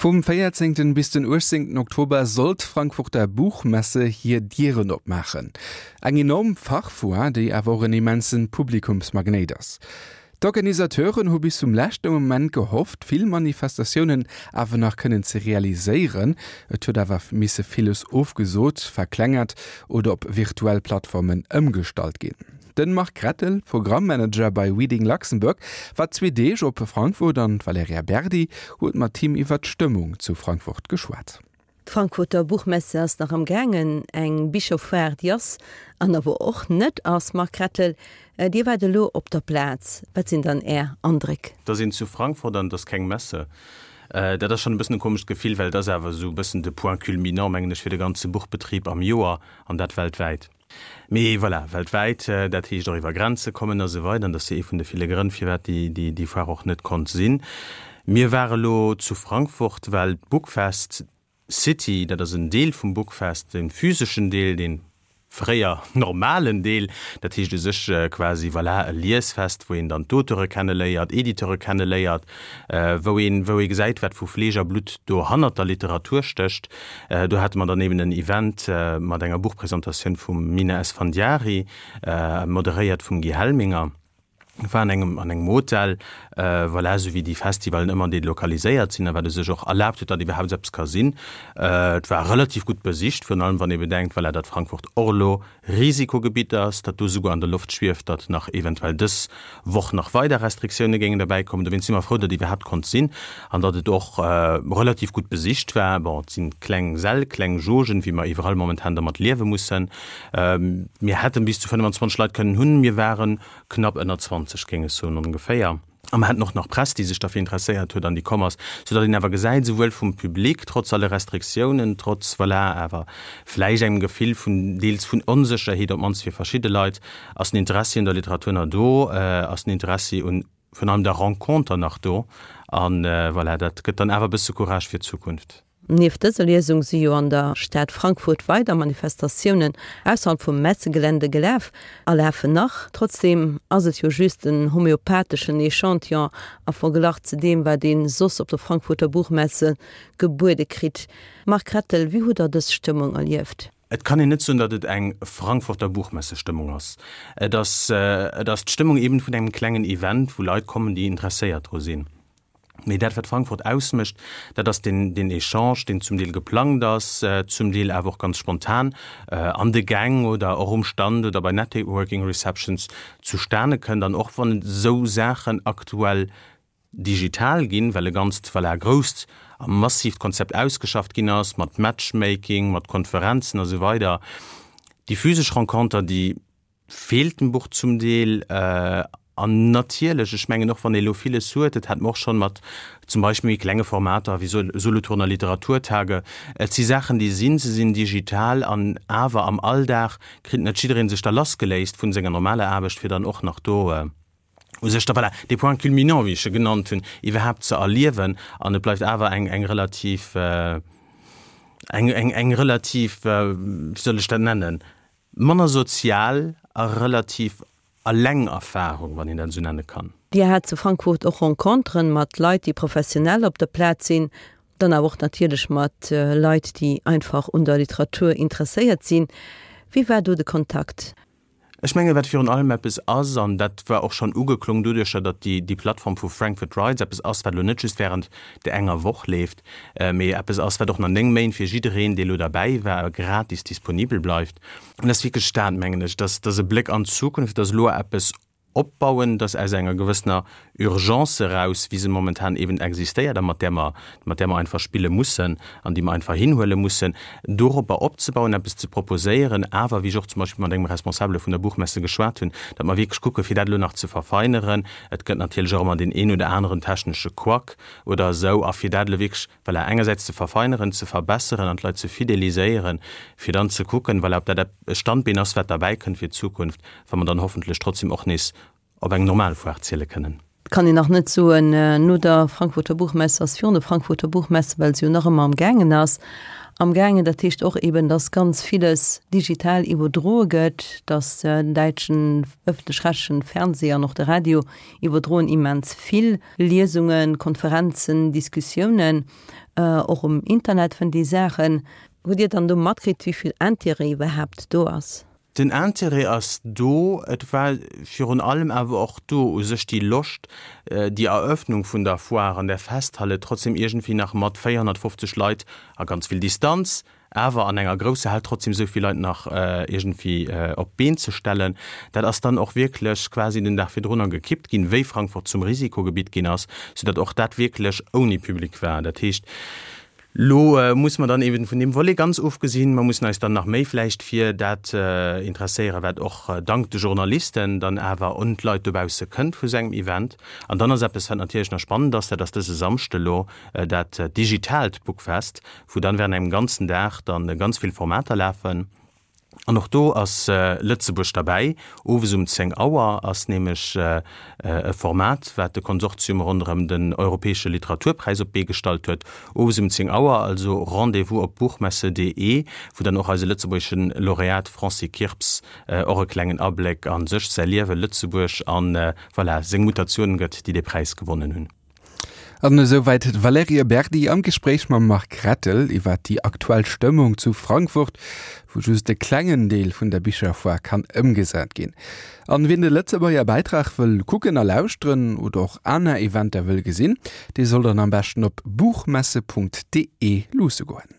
Vum 14. Bis den 18. Oktober soll d'Frankfurter Buchmesse hir Dieren opmaachen. Eng enorm Fachfoire, déi awer och en immense Publikumsmagnéit ass. D'Organisateuren hu bis zum leschte Moment gehofft, vill Manifestatiounen awer nach kënnen ze realiséieren. Et huet awer misse villes ofgesot, verklengert oder op virtuell Plattformen ëmgestallt ginn. Den Marc Rettel, Programmmanager bei Reading Luxembourg, war zwee Deeg op Frankfurt an d'Valerija Berdi huet mat him iwwer d'Stëmmung zu Frankfurt geschwat. D'Frankfurter Buchmesse ass nach am gaangen, eng Bicherfoire déi ass an awer och net ass. Marc Rettel, Dir waart elo op der Plaz, wat sinn dann Är Andréck? Et ass een zu Frankfurt an et ass keng Messe. Dat ass schonn e bëssen e komescht Gefill, well et ass awer esou e bëssen de Point culminant, mengen ech, fir de ganze Buchbetrib am Joer an dat weltwäit. Mee voilà, weltwäit, dat heescht och iwwer Grenze kommen a sou weider. An dat ass jo ee vun de ville Grënn, firwat déi Foire och net konnt sinn. Mir ware lo zu Frankfurt, well d'Bookfest City, dat ass en Deel vum Bookfest, de physeschen Deel, dee fréier normalen Deel, dat heescht u sech quasi, voilà, e Liesfest, wou een dann d'Auteure kenneléiert, Editeure kenneléiert, wou een, wou ee gesäit, wat vu Fleesch a Blutt do hannert der Literatur stécht. Do hate mer dann eben en Event mat enger Buchpresentatioun vum Mina Esfandiari, moderéiert vum Guy Helminger. War an engem, an engem Hotel, voilà, esou wéi déi Festivalen ëmmer delokaliséiert sinn a wat u sech och erlaabt huet, datt iwwerhaapt eppes ka sinn. Et war relativ gutt besicht, virun allem wann ee bedenkt, voilà, datt Frankfurt och elo Risikogebitt ass, datt do souguer an der Loft schwieft, datt nach eventuell dës Woch nach weider Restriktioune géingen derbäi kommen. Dowéinst si mer frou, datt iwwerhaapt konnt sinn an datt et och relativ gutt besicht war. Bon, et si kleng Säll, kleng Jaugen, wéi mer iwwerall momentan dermat liewe mussen. Mir hätten bis zu 25 Leit kënnen hunn, mir ware knapp ënner 20, géing ech soen, ongeféier. A mer haten och nach Press, déi sech derfir interesséiert huet an déi komm ass, soudatt een awer gesäit, souwuel vum Public, trotz alle Restriktiounen, trotz, voilà, awer vläicht engem Gefill vun deels vun Onsécherheet, op d'mannst fir verschidde Leit, ass den Interessi un der Literatur nach do, ass den Interessi un virun allem der Renconter nach do. A voilà, dat gëtt dann awer e bësse Courage fir d'Zukunft. Nieft dëser Liesung si jo an der Stad Frankfurt weider Manifestatiounen ausserhalb vum Messegelände gelaf a lafen nach. Trotzdeem ass et jo just en homeopatheschen Echantillon a Verglach ze deem, wat ee soss op der Frankfurter Buchmesse gebuede kritt. Marc Rettel, wéi hutt Der dës Stëmmung erlieft? Et kann een net soen, datt et eng Frankfurter Buchmesse-Stëmmung ass. Et ass, et ass d'Stëmmung eben vun engem klengen Event, wou Leit kommen, déi interesséiert dru sinn. Mee dat, wat Frankfurt ausmécht, dat ass deen, deen Echange, deen zum Deel geplangt ass, zum Deel awer och ganz spontan an de Gäng oder och um Stand oder bei Networking Receptions zustane kënnt. An och wann esou Saachen aktuell digital ginn, well e ganzt, voilà, grousst a massiivt Konzept ausgeschafft ginn ass, mat Matchmaking, mat Konferenzen a sou weider, déi physesch Renconter, déi feelt dem Buch zum Deel. An natierlech, ech mengen, och wann ee elo villes huet, dat hate mer och schonn mat zum Beispill méi klenge Formater wéi Solothurner Literaturtage, et si Saachen, déi sinn, se sinn digital an awer am Alldag kritt net jidderee sech da lassgeléist vun senger normaler Aarbecht, fir dann och nach do u sech da, voilà, dee Point culminant, wéi ech e genannt hunn, iwwerhaapt ze erliewen. An et bleift awer eng, eng relativ, eng, eng, eng relativ, wéi soll ech dat nennen, Manner sozial a relativ alleng Erfahrung, wann een dat esou nenne kann. Dir hat zu Frankfurt och Renconteren mat Leit, déi professionell op der Plaz sinn, dann awer och natierlech mat Leit, déi einfach un der Literatur interesséiert sinn. Wéi war do de Kontakt? Ech mengen, wat virun allem eppes ass, an dat war och schonn ugeklong doduercher, datt déi Plattform vu Frankfurt Writes eppes ass, wat elo net just während där enger Woch leeft, mee eppes ass, wat och nach 9 Méint fir jiddereen, dee lo derbäi war, gratis disponibel bleift. An dat ass wierklech dat, mengen ech, dass dass e Bléck an d'Zukunft, dass elo eppes opbauen, dass aus enger gewëssener Urgence eraus, wéi se momentan eben existéiert a mat där mer, mat där mer einfach spille mussen an déi mer einfach hinhuele mussen, doropper opzebauen, eppes ze proposéieren, awer, wéi ech och zum Beispill mat engem Responsabele vun der Buchmesse geschwat hunn, datt mer wierklech kucken, fir dat elo nach ze verfeineren. Et gëtt natierlech och ëmmer deen een oder aneren technesche Couac, oder esou, a fir dat elo wierklech, voilà, engersäits ze verfeineren, ze verbesseren an d'Leit ze fideliséieren, fir dann ze kucken, voilà, ob dat e Standbeen ass, wat derbäi kënnt fir d'Zukunft, wa mer dann hoffentlech trotzdem och nees op eng normal Foire ziele kënnen. Et kann een nach net soen, no der Frankfurter Buchmesse ass virun der Frankfurter Buchmesse, well se jo nach ëmmer am gaangen ass. Am gaangen. Dat heescht och eben, dass ganz villes digital iwwerdroe gëtt, dass den däitschen ëffentlech-rechtlechen Fernseh an och de Radio iwwerdroen immens vill Liesungen, Konferenzen, Diskussiounen. Och um Internet fënnt ee Saachen. Hutt Dir dann do matkritt, wéi vill Intérêt iwwerhaapt do ass? Den Intérêt ass do. Et war virun allem awer och do u sech déi Loscht, déi Eröffnung vun der Foire an der Festhalle trotzdem iergendwéi nach mat 450 Leit a ganz vill Distanz, awer an enger grousser Hal trotzdem esou vill Leit nach iergendwéi op d'Been ze stellen. Dat ass dann och wierklech quasi den Dag virdrunner gekippt ginn, wéi Frankfurt zum Risikogebitt ginn ass, soudatt och dat wierklech ouni Public war. Dat heescht, Lo musse mer dann eben vun deem Volet ganz ofgesinn, mer mussen eis dann nach méi vläicht fir dat interesséieren, wat och dank de Journalisten dann awer un d'Leit dobausse kënnt vu sou engem Event. An dann ass eppes, wat natierlech nach spannend ass, dat ass dëse Samschde lo dat digitaalt Bookfest, wou dann während engem ganzen Dag dann ganz vill Formater lafen. An och do ass Lëtzebuerg derbäi. Owes um 10 Auer ass nämlech e Format, wat de Konsortium ronderëm den Europäesche Literaturpräis op d'Bee gestallt huet. Owes um 10 Auer also Rendez-vous op buchmesse.de, wou dann och eise lëtzebuergesche Laureat Francis Kirps och e klengen Abléck a sech, säi Liewen, Lëtzebuerg an, voilà, seng Mutatiounen gëtt, déi dee Präis gewonnen hunn. An esouwäit d'Valerija Berdi am Gespréich mam Marc Rettel iwwer déi aktuell Stëmmung zu Frankfurt, wou just e klengen Deel vun der Bicherfoire kann ëmgesat ginn. An wien de Lëtzebuerger Bäitrag wëll kucken a lauschteren oder och aner Eventer wëll gesinn, dee soll dann am beschten op buchmesse.de luusse goen.